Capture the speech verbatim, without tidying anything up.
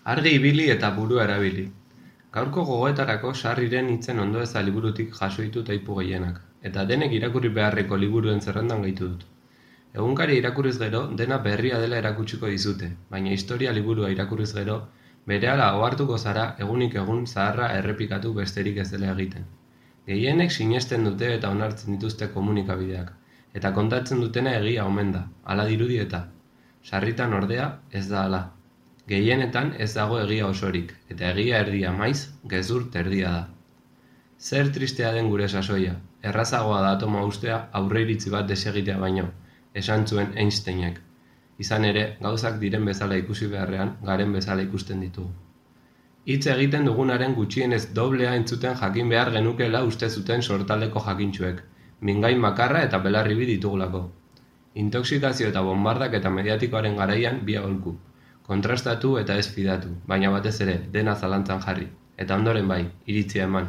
Argi ibili eta burua erabili. Gaurko gogoetarako Sarriren hitzen ondoeza liburutik jaso ditut aipu gehienak, eta denek irakurri beharreko liburuen zerrendan gehitu dut. Egunkaria irakurriz gero, dena berria dela erakutsiko dizute, baina historia liburua irakurriz gero, berehala ohartuko zara egunik egun zaharra errepikatu besterik ez dela egiten. Gehienek sinesten dute eta onartzen dituzte komunikabideak, eta kontatzen dutena egia omen da, hala dirudi eta. Sarritan ordea ez da hala. Gehienetan ez dago egia osorik, eta egia erdia maiz, gezur terdia da. Zer tristea den gure sasoia, errazagoa da atoma ustea aurreiritzi bat desegitea baino, esan zuen Einsteinek. Izan ere, gauzak diren bezala ikusi beharrean, garen bezala ikusten ditugu. Hitz egiten dugunaren gutxienez doblea entzuten jakin behar genukela uste zuten sortaldeko jakintsuek, mingain makarra eta belarribi ditugulako. Intoxikazio eta bombardak eta mediatikoaren garaian bi aholku. Kontrastatu eta ez fidatu, baina batez ere, dena zalantzan jarri. Eta ondoren bai, iritzia eman.